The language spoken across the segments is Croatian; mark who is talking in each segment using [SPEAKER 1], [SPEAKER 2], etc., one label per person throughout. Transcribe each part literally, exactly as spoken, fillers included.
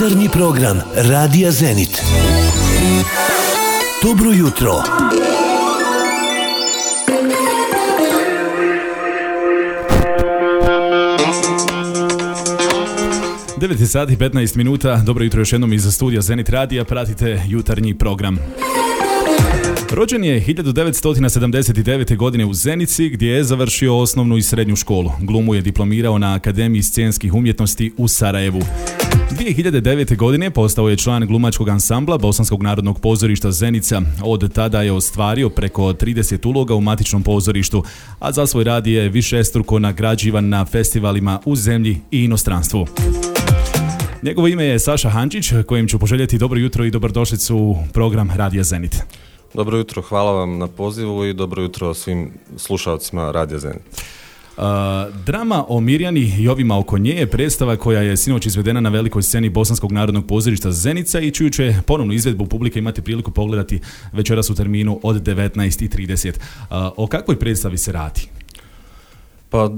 [SPEAKER 1] Jutarnji program Radija Zenit. Dobro jutro.
[SPEAKER 2] devet sati i petnaest minuta. Dobro jutro još jednom iz studija Zenit Radija. Pratite jutarnji program. Rođen je hiljadu devetsto sedamdeset devete. godine u Zenici, gdje je završio osnovnu i srednju školu. Glumu je diplomirao na Akademiji scenskih umjetnosti u Sarajevu. dvije hiljade devete. godine postao je član glumačkog ansambla Bosanskog narodnog pozorišta Zenica. Od tada je ostvario preko trideset uloga u matičnom pozorištu, a za svoj rad je višestruko nagrađivan na festivalima u zemlji i inostranstvu. Njegovo ime je Saša Hančić, kojem ću poželjeti dobro jutro i dobrodošlicu u program Radija Zenit.
[SPEAKER 3] Dobro jutro, hvala vam na pozivu i dobro jutro svim slušalcima Radija Zenit.
[SPEAKER 2] Uh, drama o Mirjani i ovima oko nje je predstava koja je sinoć izvedena na velikoj sceni Bosanskog narodnog pozorišta Zenica i čiju će ponovnu izvedbu publika imati priliku pogledati večeras u terminu od devetnaest i trideset. Uh, o kakvoj predstavi se radi?
[SPEAKER 3] Pa,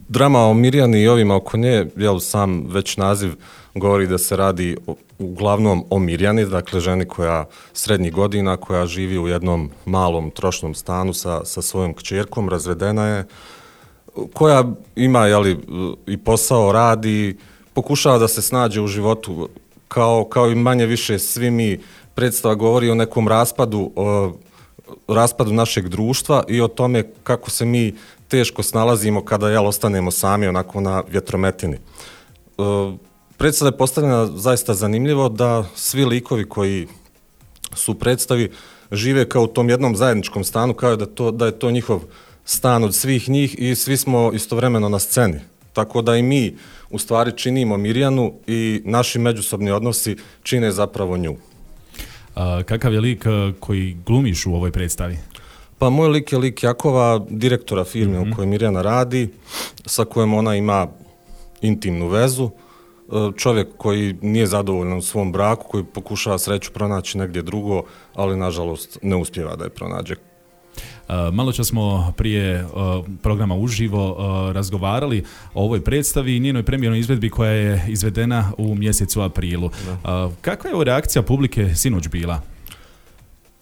[SPEAKER 3] drama o Mirjani i ovima oko nje, jel, sam već naziv govori da se radi o, uglavnom o Mirjani, dakle ženi koja srednjih godina, koja živi u jednom malom trošnom stanu sa, sa svojom kćerkom, razvedena je, koja ima, jeli, i posao, radi, pokušava da se snađe u životu, kao, kao i manje više svi mi. Predstava govori o nekom raspadu, o raspadu našeg društva i o tome kako se mi teško snalazimo kada, jel, ostanemo sami onako na vjetrometini. E, predstava je postavljena zaista zanimljivo, da svi likovi koji su u predstavi žive kao u tom jednom zajedničkom stanu, kao da, to, da je to njihov stan od svih njih i svi smo istovremeno na sceni. Tako da i mi u stvari činimo Mirjanu i naši međusobni odnosi čine zapravo nju.
[SPEAKER 2] A, kakav je lik koji glumiš u ovoj predstavi?
[SPEAKER 3] Pa moj lik je lik Jakova, direktora firme mm-hmm. u kojoj Mirjana radi, sa kojom ona ima intimnu vezu. Čovjek koji nije zadovoljan u svom braku, koji pokušava sreću pronaći negdje drugo, ali nažalost ne uspijeva da je pronađe.
[SPEAKER 2] Malo čas smo prije uh, programa uživo uh, razgovarali o ovoj predstavi i njenoj premijernoj izvedbi koja je izvedena u mjesecu aprilu. Uh, kakva je reakcija publike sinoć bila?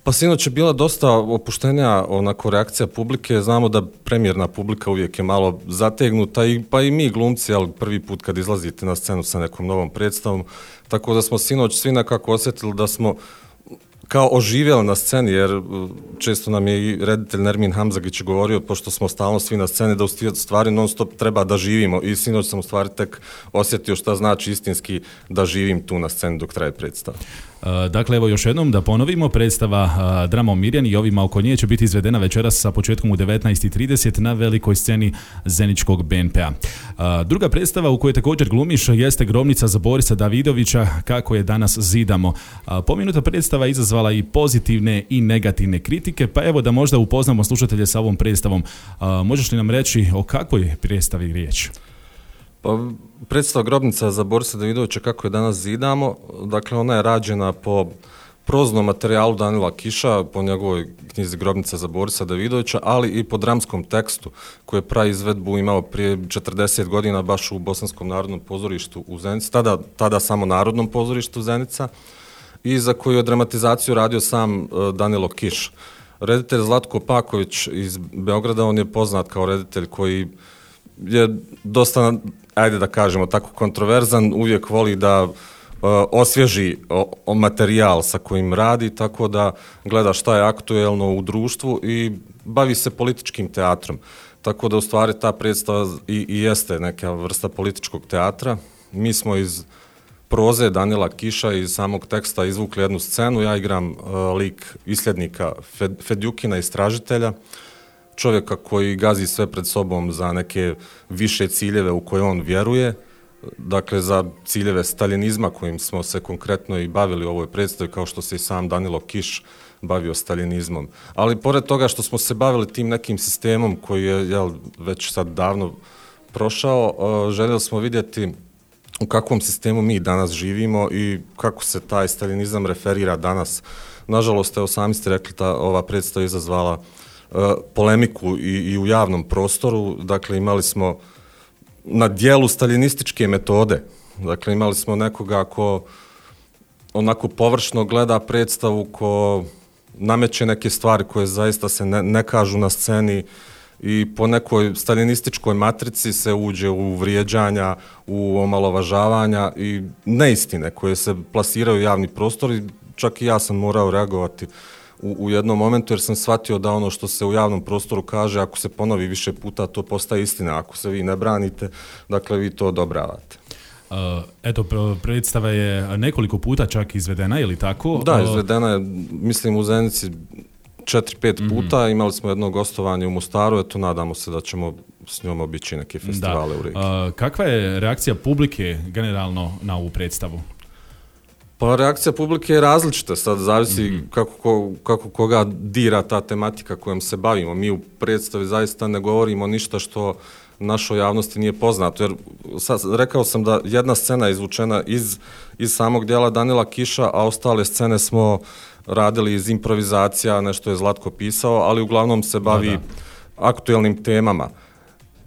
[SPEAKER 3] Pa sinoć je bila dosta opuštenija onako reakcija publike. Znamo da premijerna publika uvijek je malo zategnuta, i, pa i mi glumci, ali prvi put kad izlazite na scenu sa nekom novom predstavom, tako da smo sinoć svi nekako osjetili da smo kao oživjeli na sceni, jer često nam je i reditelj Nermin Hamzagić govorio, pošto smo stalno svi na sceni, da u stvari non stop treba da živimo, i sinoć sam u stvari tek osjetio šta znači istinski da živim tu na sceni dok traje predstava.
[SPEAKER 2] Dakle, evo još jednom da ponovimo, predstava Drama o Mirjani i ovima oko nje će biti izvedena večeras sa početkom u devetnaest i trideset na velikoj sceni Zeničkog B N P-a. Druga predstava u kojoj također glumiš jeste Grobnica za Borisa Davidovića, Kako je danas zidamo. Pomenuta predstava izazvala i pozitivne i negativne kritike, pa evo da možda upoznamo slušatelje sa ovom predstavom. Možeš li nam reći o kakvoj predstavi riječ?
[SPEAKER 3] Pa, predstava Grobnica za Borisa Davidovića, Kako je danas zidamo, dakle ona je rađena po proznom materijalu Danila Kiša, po njegovoj knjizi Grobnica za Borisa Davidovića, ali i po dramskom tekstu koji je praizvedbu imao prije četrdeset godina baš u Bosanskom narodnom pozorištu u Zenici, tada, tada samo Narodnom pozorištu Zenica, i za koju je dramatizaciju radio sam uh, Danilo Kiš. Reditelj Zlatko Paković iz Beograda, on je poznat kao reditelj koji je dosta, ajde da kažemo tako, kontroverzan, uvijek voli da uh, osvježi o, o materijal sa kojim radi, tako da gleda šta je aktuelno u društvu i bavi se političkim teatrom. Tako da u stvari ta predstava i, i jeste neka vrsta političkog teatra. Mi smo iz proze Danila Kiša, iz samog teksta izvukli jednu scenu. Ja igram uh, lik isljednika Fed, Fedjukina, istražitelja, čovjeka koji gazi sve pred sobom za neke više ciljeve u koje on vjeruje, dakle za ciljeve staljinizma kojim smo se konkretno i bavili u ovoj predstavi, kao što se i sam Danilo Kiš bavio staljinizmom. Ali pored toga što smo se bavili tim nekim sistemom koji je, jel, već sad davno prošao, uh, željeli smo vidjeti u kakvom sistemu mi danas živimo i kako se taj staljinizam referira danas. Nažalost, evo sami ste rekli, ta ova predstava izazvala uh, polemiku i, i u javnom prostoru. Dakle, imali smo na dijelu staljinističke metode. Dakle, imali smo nekoga ko onako površno gleda predstavu, ko nameće neke stvari koje zaista se ne, ne kažu na sceni i po nekoj staljinističkoj matrici se uđe u vrijeđanja, u omalovažavanja i neistine koje se plasiraju u javni prostor i čak i ja sam morao reagovati u, u jednom momentu jer sam shvatio da ono što se u javnom prostoru kaže, ako se ponovi više puta, to postaje istina. Ako se vi ne branite, dakle vi to odobravate.
[SPEAKER 2] Uh, eto, predstava je nekoliko puta čak izvedena, je li tako?
[SPEAKER 3] Da, izvedena je, mislim, u Zenici četiri, pet puta. Mm-hmm. Imali smo jedno gostovanje u Mostaru, eto, nadamo se da ćemo s njom obići neke festivale u regiji.
[SPEAKER 2] Uh, kakva je reakcija publike generalno na ovu predstavu?
[SPEAKER 3] Pa reakcija publike je različita, sad zavisi mm-hmm. kako, ko, kako koga dira ta tematika kojom se bavimo. Mi u predstavi zaista ne govorimo ništa što našoj javnosti nije poznato, jer sad, rekao sam da jedna scena je izvučena iz, iz samog dijela Danila Kiša, a ostale scene smo radili iz improvizacija, nešto je Zlatko pisao, ali uglavnom se bavi da, da. aktuelnim temama.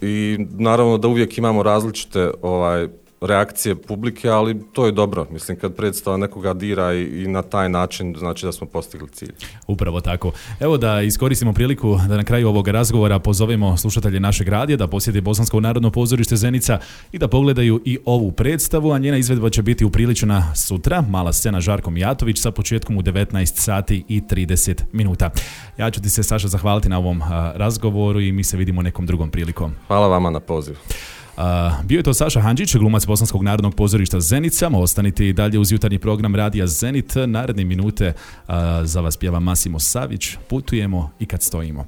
[SPEAKER 3] I naravno da uvijek imamo različite ovaj, reakcije publike, ali to je dobro. Mislim, kad predstava nekoga dira i, i na taj način, znači da smo postigli cilj.
[SPEAKER 2] Upravo tako. Evo da iskoristimo priliku da na kraju ovog razgovora pozovemo slušatelje našeg radija da posjete Bosansko narodno pozorište Zenica i da pogledaju i ovu predstavu, a njena izvedba će biti upriličena sutra. Mala scena Žarko Mijatović sa početkom u devetnaest sati i trideset minuta. Ja ću ti se, Saša, zahvaliti na ovom a, razgovoru i mi se vidimo nekom drugom prilikom.
[SPEAKER 3] Hvala vama na poziv.
[SPEAKER 2] Uh, bio je to Saša Handžić, glumac Bosanskog narodnog pozorišta Zenica. Ostanite i dalje uz jutarnji program Radija Zenit. Naredne minute uh, za vas pjeva Masimo Savić. Putujemo i kad stojimo.